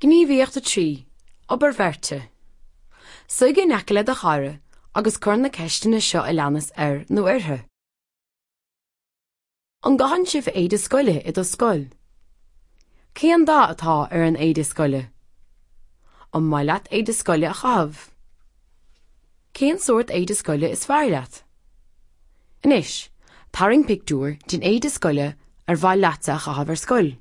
Gníomhaíocht 3, Obair Bheirte. Suigh in aice le do chara agus cuir na ceisteanna seo a leanas air nó uirthi. An gcaitheann sibh éide scoile i do scoil? Cén dath atá ar an éide scoile? An maith leat éide scoile a chaitheamh? Cén sórt éide scoile is fearr leat? Anois, tarraing pictiúr den éide scoile ar mhaith leatsa a chaitheamh ar scoil.